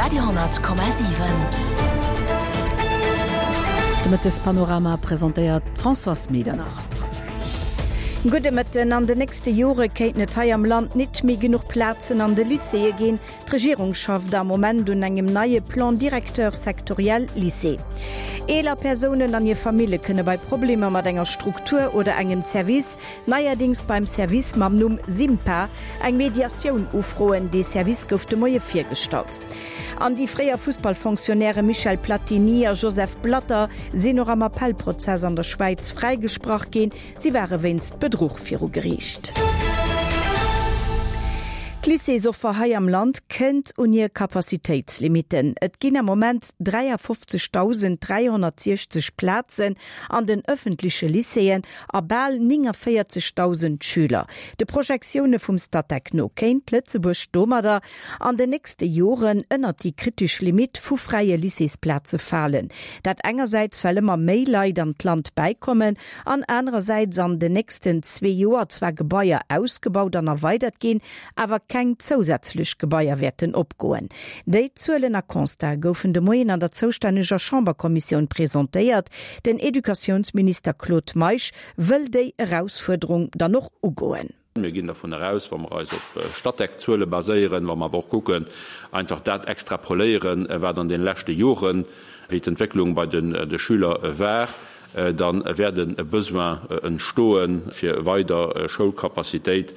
Radio 10,7. De Mëttespanorama presentéiert d'Françoise Medernach. Gudde Mëtten. An den nächste Jore kéinten et hei am Land nit méi genuch Plazen an de Lycéeë ginn. D'Regierung schafft am Moment un engem neie Plan directeur sectoriel Lycée. Eeler Persounen an hir Famille kënne bei Problemer mat enger Struktur oder engem Service Neierdings beim Service mam Numm SIMPA eng Mediatioun ufroen. Dee Service gouf de Moie virgestallt. An déi fréier Fussballfonctionnairë Michel Platini a Joseph Blatter sinn och am Appellprozess an der Schwäiz fräigesprach ginn. Si ware wéinst Bedruch viru Geriicht. D'Lycéesoffer hei am Land kënnt un hir Capacitéitslimitten. Et ginn am Moment 53.360 Plazen an den ëffentleche Lycéeën a bal 49.000 Schüler. De Projektioune vum Statec no kéint Lëtzebuerg domadder an den nächste Joren ënnert déi kritesch Limitt vu fräie Lycéesplaze falen. Dat engersäits well ëmmer méi Leit an d'Land bäikommen an anerersäits an den nächsten zwee Joer zwar Gebaier ausgebaut an erweidert ginn, awer keng zousätzlech Gebaier wäerten opgoen. Déi Zuelen a Constate goufen de Moien an der zoustänneger Chamberkommissioun presentéiert. Den Educatiounsminister Claude Meisch wëll déi Erausfuerderung dann och ugoen. Mir ginn dervun eraus, wa mer eis op Statec-Zuele baséieren, wa mer awer och kucken, einfach dat extrapoléieren, wat an deene leschte Joren, wéi d'Entwécklung bei de Schüler war, da wäert e Besoin entstoen, fir weider Schoulcapacitéit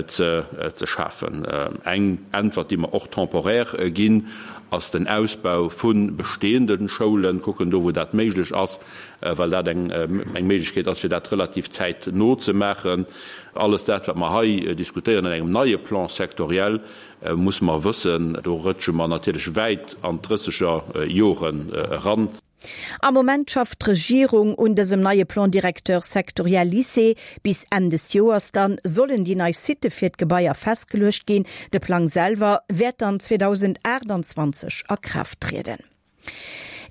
ze schafen. Eng Äntwert, déi mer och temporaire ginn, ass den Ausbau vu bestehende Schoulen, kucken do, wou dat méiglech ass, well dat eng Méiglechkeet ass, fir dat relativ zäitno ze maachen. Alles dat, wat mer hei diskutéieren an engem neie Plan sectoriel, musse mer wëssen, do rëtsche mer natierlech wäit an d'drësseger Joren eran. Am Moment schafft d'Regierung un dësem neie Plan directeur sectoriel Lycée. Bis Enn des Joers dann sollen déi nei Sitte fir d'Gebaier festgeluecht ginn. De Plang selwer wäert dann 2028 a Kraaft trieden.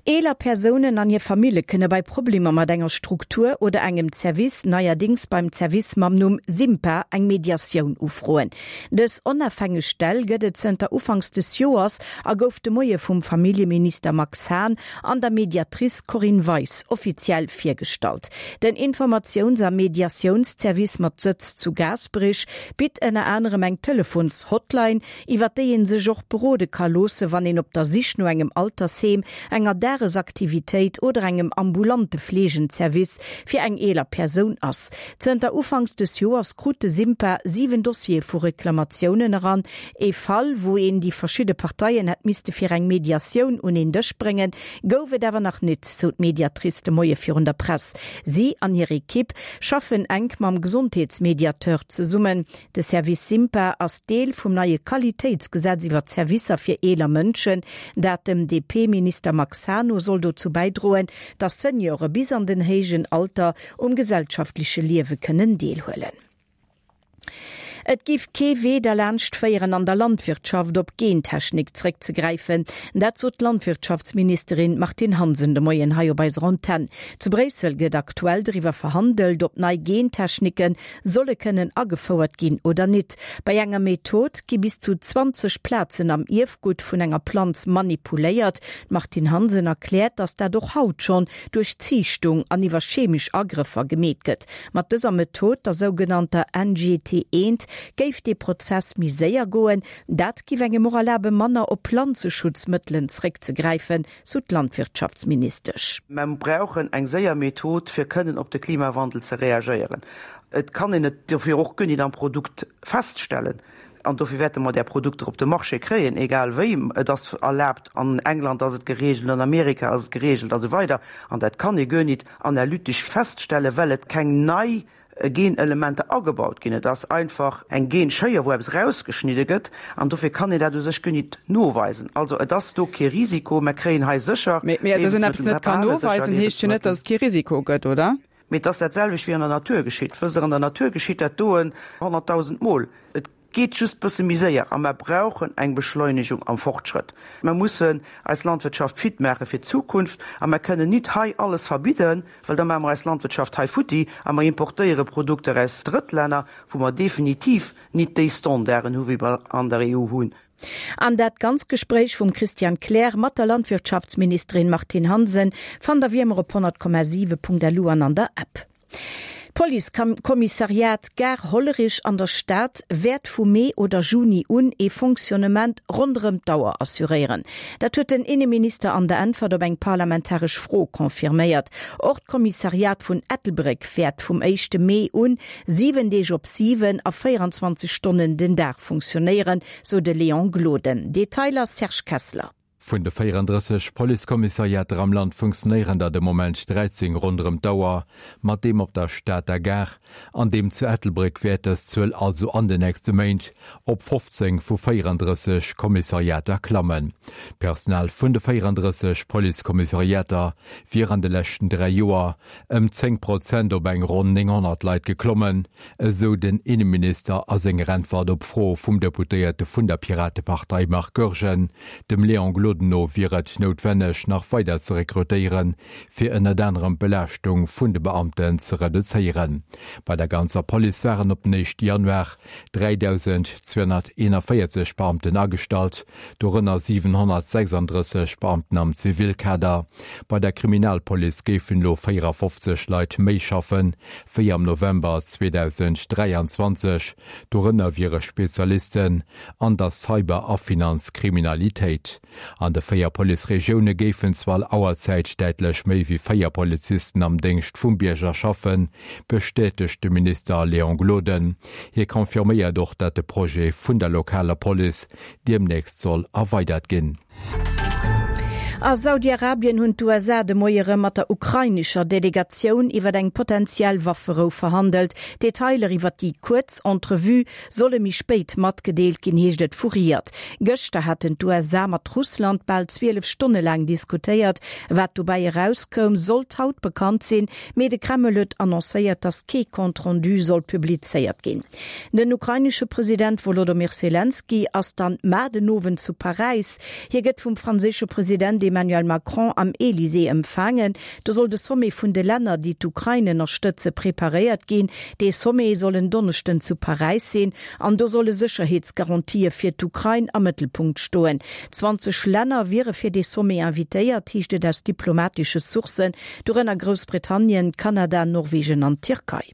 Eeler Persounen an hir Famille kënne bei Problemer mat enger Struktur oder engem Zerwiss neierdéngs beim Zerwiss mam Numm SIMPA eng Mediatioun ufroen. Dës onafhängeg Stell gëtt et zënter Ufanks des Joers a gouf de Moie vum Familljeminister Max Hahn an der Mediatrice Corinne Weis offiziell virgestallt. Den Informatiouns a Mediatiounszervice mat Sëtz zu Gaasperech bitt ënner anerem eng Telefons-Hotline, iwwer déi ee sech och berode ka loosse wann een op der Sich no engem Altersheem, enger Dagesaktivitéit oder engem ambulante Fleegenservice fir eng eeler Persoun ass. Zënter Ufanks des Joers krut de SIMPA 7 Dossiere vu Reklamatiounen eran, Ee Fall, wou een déi verschidde Parteien hätt misste fir eng Mediatioun un een Dësch bréngen, gouf et awer nach nit, sou d'Mediatrice de Moie virun der Press. Si an hir Ekipp schaffen enk mam Gesondheetsmediateur zesummen. De Service SIMPA ass Deel vum neie Qualitéitsgesetz iwwer d'Servicer fir eeler Mënschen. Dat dem DP-Minister Max Hahn no soll dozou bäidroen, datt Seniore bis an den héijen Alter um gesellschaftleche Liewe kënnen deelhuelen. Et giff kee Wee derlaanscht féieren, an der Landwirtschaft op Gentechnik zréckzegräifen. Dat sot d'Landwirtschaftsministerin Martine Hansen de Moien hei op eiser Antenn. Zu Bréissel gëtt aktuell driwwer verhandelt, ob nei Gentechnike solle kënnen agefouert ginn oder nit. Bei enger Method gi bis zu 20 Plazen am Ierfgutt vun enger Planz manipuléiert. D'Martine Hansen erkläert, datt dat och haut schonn duerch Ziichtung an iwwer chemesch Agrëffer gemeet gëtt. Mat dëser Method, der sougenannter NGT eent, géif dee Prozess méi séier goen. Dat giff engem och erlabe manner op Planzeschutzmëttelen zréckzegräifen, sou d'Landwirtschaftsministesch. Mer brauchen eng séier Method, fir kënnen op de Klimawandel ze reagéieren. Et kann een et dofir och guer nit am Produkt feststellen. An dofir wäerte mer där Produkter op de Marché kréien, egal wéi. Et ass erlaabt, an England ass et geregelt, an Amerika ass et geregelt a sou weider. An dat kann ee guer nit analytesch feststellen, well et keng nei Genelementer agebaut ginn. Et ass einfach eng Genschéier, wou eppes erausgeschnidde gëtt. An dofir kann een dat u sech guer nit noweisen. Also et ass do kee Risiko. Mer kréien hei sécher Mee dass een eppes Liewensmëttel, net kann mer behale sécher noweisen, heescht jo net, Liewensmëttel. dass et kee Risiko gëtt, oder? Mee et ass dat selwecht wéi an der Natur geschitt. Wësst Der, an der Natur geschitt dat doen 100.000 Mol. Et. Geet just bësse méi séier a mer brauchen eng Beschleunegung am Fortschrëtt. Mer mussen eis Landwirtschaft fit maache fir d'Zukunft a mer kënnen nit hei alles verbidden, well da maache mer eis Landwirtschaft hei futti a mer importéiere Produkter aus Drëttlänner, wou mer definitiv nit déi Standarden hu wéi mer an der EU hunn. An dat ganz Gespréich vum Christian Kleer mat der Landwirtschaftsministerin Martine Hansen fannt der wéi ëmmer op 100,7.lu an an der App. D'Policekommissariat Gare Hollerich an der Stad wäert vu Mee oder Juni un ee Fonctionnement ronderëm d'Auer assuréieren. Dat huet den Inneminister an der Äntwert op eng parlamentaresch Fro confirméiert. Och d'Kommissariat vun Ettelbréck wäert vum éischte Mee un 7 Deeg op 7 a 24 Stonnen den Dag funktionéieren, sou de Léon Gloden. Detailer Serge Kessler. Vun de 34 Policekommissariater am Land funktionéieren der de Moment 13 ronderëm d'Auer. Mat deem op der Stater Gare an deem zu Ettelbréck wäert dës Zuel also an den nächste Méint op 15 vu 34 Kommissariater klammen. D'Personal vun de 34 Policekommissariater wier an de leschten 3 Joer ëm 10 Prozent op eng ronn 900 Leit geklommen, esou den Inneminister a senger Äntwert op Froe vum Deputéierte vun der Piratepartei Marc Goergen. Dem Léon Gloden no wier et noutwenneg, nach weider ze rekrutéieren, fir ënnert anerem d'Belaaschtung vun de Beamten ze reduzéieren. Bei der ganzer Police waren op den éischte Januar 3.241 Beamten agestallt, dorënner 736 Beamten am Zivilkader. Bei der Kriminalpolice géifen elo 54 Leit méi schaffen, wéi am November 2023. Dorënner wiere Spezialisten an der Cyber a Finanzkriminalitéit. An de 4 Policeregioune géifen zu all Auerzäit däitlech méi wéi 4 Polizisten am Déngscht vum Bierger schaffen, bestätegt de Minister Léon Gloden. Hie confirméiert och, datt de Projet vun der lokaler Police deemnächst soll erweidert ginn. A Saudi-Arabien hunn d'USA de Moie rëm mat der ukrainescher Delegatioun iwwer eng potentiell Wafferou verhandelt. Detailer iwwer déi kuerz Entrevue solle méi spéit matgedeelt ginn, heescht et vu Riad. Gëschter haten d'USA mat Russland bal 12 Stonne laang diskutéiert. Wat dobäi erauskoum, sollt haut bekannt sinn, mee de Kreml huet annoncéiert, datt kee Compte-rendu soll publizéiert ginn. Den ukrainesche President Wolodomyr Selenskyj ass dann mar den Owend zu Paräis. Hie gëtt vum franséische President Emmanuel Macron am Elysée empfaangen. Do soll de Sommet vun de Länner, déi d'Ukrain ënnerstëtze, preparéiert ginn. Dee Sommet soll en Donneschden zu Paräis sinn an do solle Sécherheetsgarantië fir d'Ukrain am Mëttelpunkt stoen. 20 Länner wiere fir dee Sommet invitéiert, heescht et aus diplomatesche Sourcen, dorënner Groussbritannien, Kanada, Norwegen an d'Tierkei.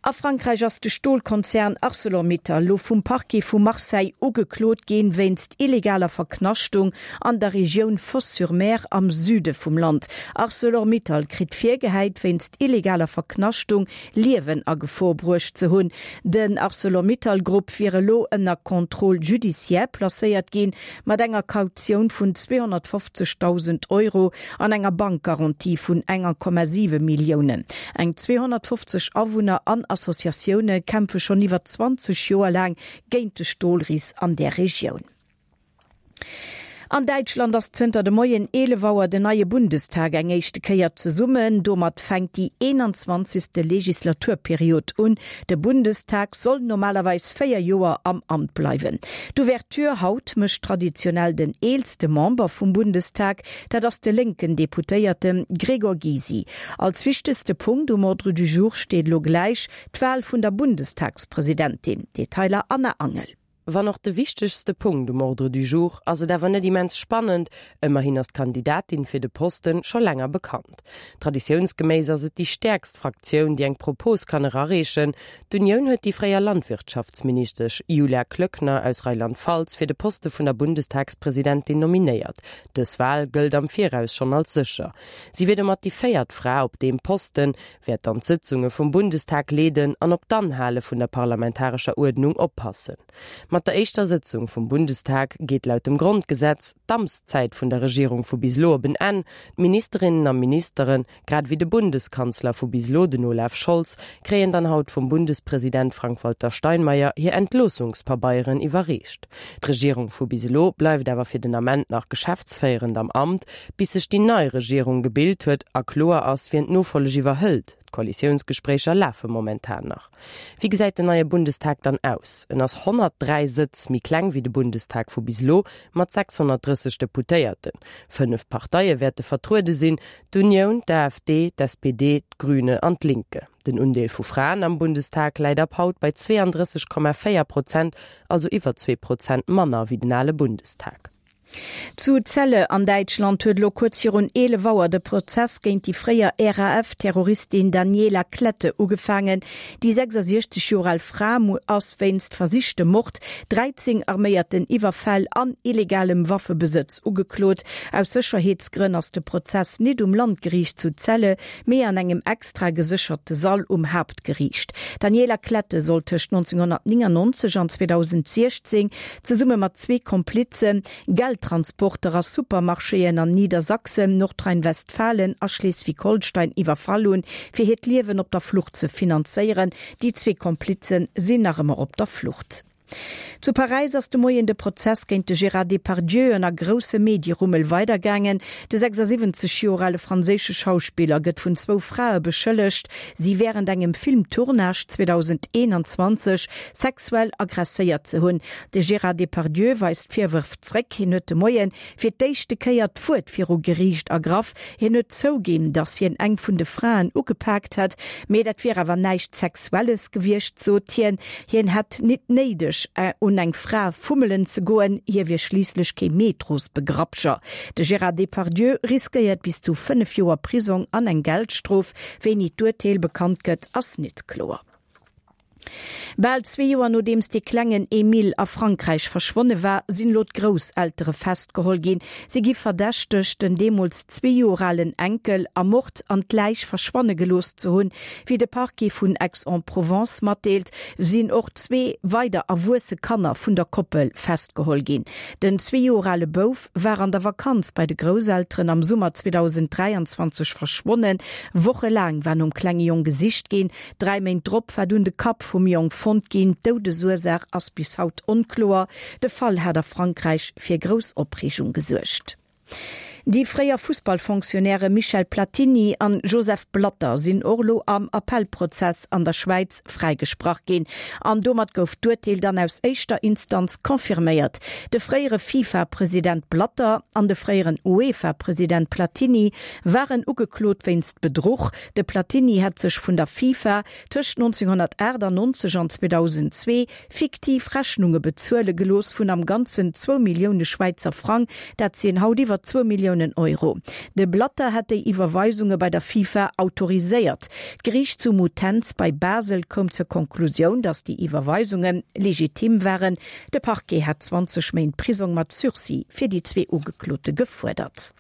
A Frankräich ass de Stolkonzern Arcelor-Mittal lo vum Parquet vu Marseille ugeklot ginn, wéinst illegaler Verknaschtung an der Regioun Fos-sur-Mer am Süde vum Land. Arcelor-Mittal kritt virgehäit, wéinst illegaler Verknaschtung Liewen a Gefor bruecht ze hunn. Den Arcelor-Mittal-Grupp wier elo ënner Contrôle judiciaire placéiert ginn, mat enger Kautioun vun 250.000 Euro an enger Bankgarantie vun 1,7 Milliounen. Eng 250 Awunner an Associatioune kämpfe schonn iwwer 20 Joer laang géint de Stolris an där Regioun. An Däitschland ass zënter de Moien 11 Auer den neie Bundestag eng éischte Kéier zesummen. Domat fänkt déi 21. Legislaturperiod un. De Bundestag soll normalerweis 4 Joer am Amt bleiwen. D'Ouverture haut mécht traditionell den eelste Member vum Bundestag, dat ass de lénken Deputéierte Gregor Gysi. Als wichtegste Punkt um Ordre du jour steet elo gläich d'Wal vun der Bundestagspresidentin. Detailer Anna Angel. Wann och de wichtegste Punkt um Ordre du jour, ass et awer net immens spannend, ëmmerhin ass d'Kandidatin fir de Posten scho länger bekannt. Traditiounsgeméiss ass et déi stäerkst Fraktioun, déi eng Propos kann erareechen. D'Unioun huet déi fréier Landwirtschaftsministesch Julia Klöckner aus Rheinland-Pfalz fir de Poste vun der Bundestagspresidentin nominéiert. Dës Wal gëllt am Viraus schonn als sécher. Si wier domat déi véiert Fra op deem Posten, wäert dann d'Sëtzunge vum Bundestag leeden an op d'Anhale vun der parlamentarescher Uerdnung oppassen. Mat. Mat der éischter Sëtzung vum Bundestag geet laut dem Grondgesetz d'Amtszäit vun der Regierung vu bis elo op en Enn. D'Ministerinnen a Ministeren, grad ewéi de Bundeskanzler vu bis elo, den Olaf Scholz, kréien dann haut vum Bundespresident Frank-Walter Steinmeier hir Entloossungspabeieren iwwerreecht. D'Regierung vu bis elo bleift awer fir den Ament nach geschäftsféierend am Amt, bis sech déi nei Regierung gebilt huet a kloer ass, wien d'Nofolleg iwwerhëlt. D'Koalitiounsgespréicher lafe momentan nach. Wéi gesäit den neie Bundestag dann aus? En ass 103 Sëtz méi kleng wéi de Bundestag vu bis elo, mat 630 Deputéierten. 5 Parteie wäerte vertruede sinn, d'Unioun, d'AfD, d'SPD, d'Grüne an d'Linke. Den Undeel vu Fraen am Bundestag läit ab haut bei 32,4 Prozent, also iwwer zwee Prozent manner wéi den ale Bundestag. Zu Celle an Däitschland huet elo kuerz virun 11 Auer de Prozess géint déi fréier RAF-Terroristin Daniela Klette ugefaangen. Déi 66 Joer al Fra ass wéinst versichtem Mord, 13 arméierten Iwwerfäll an illegalem Waffebesëtz ugeklot. Aus Sécherheetsgrënn ass de Prozess nit um Landgeriicht zu Celle, mee an engem extra gesécherte Sall um Haaptgeriicht. D'Daniela Klette soll tëscht 1999 an 2016 zesumme mat zwee Komplize Geldtransporter a Supermarchéen an Niedersachsen, Nordrhein-Westfalen a Schleswig-Holstein iwwerfall hunn, fir hiert Liewen op der Flucht ze finanzéieren. Déi zwee Komplize sinn nach ëmmer op der Flucht. Zu Paräis ass de Moien de Prozess géint de Gérard Depardieu ënner groussem Medierummel weidergaangen. De 76 Joer ale franséische Schauspiller gëtt vun zwou Frae beschëllegt, si wärend engem Filmtournage 2021 sexuell aggresséiert ze hunn. De Gérard Depardieu weist d'Virwërf zréck. Hien huet de Moie fir d'éischte Kéier d'Wuert viru Geriicht ergraff. Hien huet zouginn, datt hien eng vun de Fraen ugepaakt hätt, mee dat wier awer näischt Sexuelles gewiescht, sot hien. Hien hätt nit néideg, un eng Fra fummelen ze goen, hie wier schliisslech kee Metrosbegrapscher. De Gérard Depardieu riskéiert bis zu 5 Joer Prisong an eng Geldstrof. Wéini d'Urteel bekannt gëtt, ass nit kloer. Bal zwee Joer nodeems dee klengen Emile a Frankräich verschwonne war, sinn elo d'Grousseltere festgeholl ginn. Si gi verdächtegt, den deemools zwee Joer alen Enkel ermort an d'Läich verschwanne gelooss ze hunn. Wéi de Parquet vun Aix-en-Provence matdeelt, sinn och zwee weider erwuesse Kanner vun der Koppel festgeholl ginn. Den zwee Joer ale Bouf war an der Vakanz bei de Grousselteren am Summer 2023 verschwonnen. Wochelaang war nom klenge Jong gesicht ginn. Dräi Méint drop war dunn de Kapp vum Jong fonnt ginn. D'Doudesursaach ass bis haut onkloer. De Fall hat a Frankräich fir grouss Opreegung gesuergt. Déi fréier Fussballfonctionnairë Michel Platini an Joseph Blatter sinn och elo am Appellprozess an der Schwäiz fräigesprach ginn. An domat gouf d'Urteel dann aus éischter Instanz confirméiert. De fréiere FIFA-President Blatter an de fréieren UEFA-President Platini waren ugeklot wéinst Bedruch. De Platini hätt sech vun der FIFA tëscht 1998 an 2002 fiktiv Rechnunge bezuele gelooss vun am Ganzen zwou Millioune Schwäizer Frang, dat sinn haut iwwer zwou Milliounen Euro. De Blatter hätt déi Iwwerweisunge bei der FIFA autoriséiert. D'Geriicht zu Muttenz bei Basel koum zur Konklusioun, datt déi Iwwerweisunge legitim waren. De Parquet hat 20 Méint Prisong mat Sursis fir déi zwee Ugeklote gefuerdert.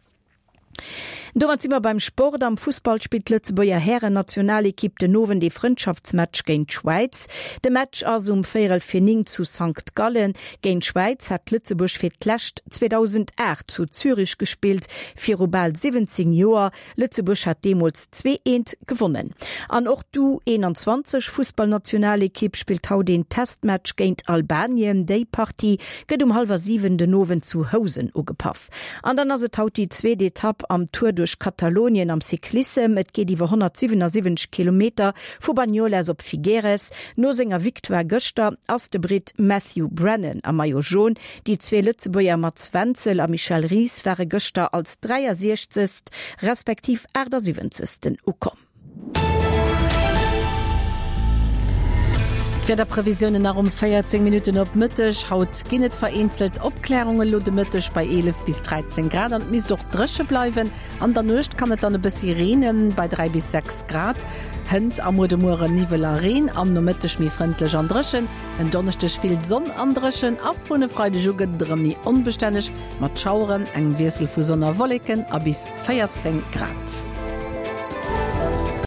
Domat si mer beim Sport. Am Fussball spillt d'Lëtzebuerger Hären-Nationalekipp den Owend ee Frëndschaftsmatch géint d'Schwäiz. De Match ass um véierel fir 9 zu Sankt Gallen. Géint d'Schwäiz hat Lëtzebuerg fir d'lescht 2008 zu Zürich gespillt, viru bal 17 Joer. Lëtzebuerg hat deemools 2, 1 gewonnen. An och d'U 21 Fussballnationalekipp spillt haut een Testmatch géint Albanien. Déi Partie gëtt um hallwer 7 den Owend zu Housen ugepaff. An dann ass et haut déi zweet Etapp am Tour duerch Katalonien am Cyclissem. Et geet iwwer 177 Kilometer vu Banyoles op Figueres. No senger Victoire gëschter ass de Britt Matthew Brennan am Maillot Jaune. Déi zwee Lëtzebuerger Mats Wenzel a Michel Ries ware gëschter als 63. Respektiv 78. Ukomm. D'Wiederprevisiounen nach um 14 Minutten op Mëtteg. Haut ginn et vereenzelt Opklärungen, elo de Mëtteg bei 11 bis 13 Grad an et misst och dréche bleiwen. An der Nuecht kann et dann e bëssi reenen, bei 3 bis 6 Grad. Hënt a muer de Muere Niwwel a Reen, am Nomëtteg méi frëndlech an dréchen. En Donneschdeg vill Sonn an dréchen a vun e Freideg u gëtt et erëm méi onbestänneg mat Schaueren, engem Wiessel vu Sonn a Wolleken a bis 14 Grad.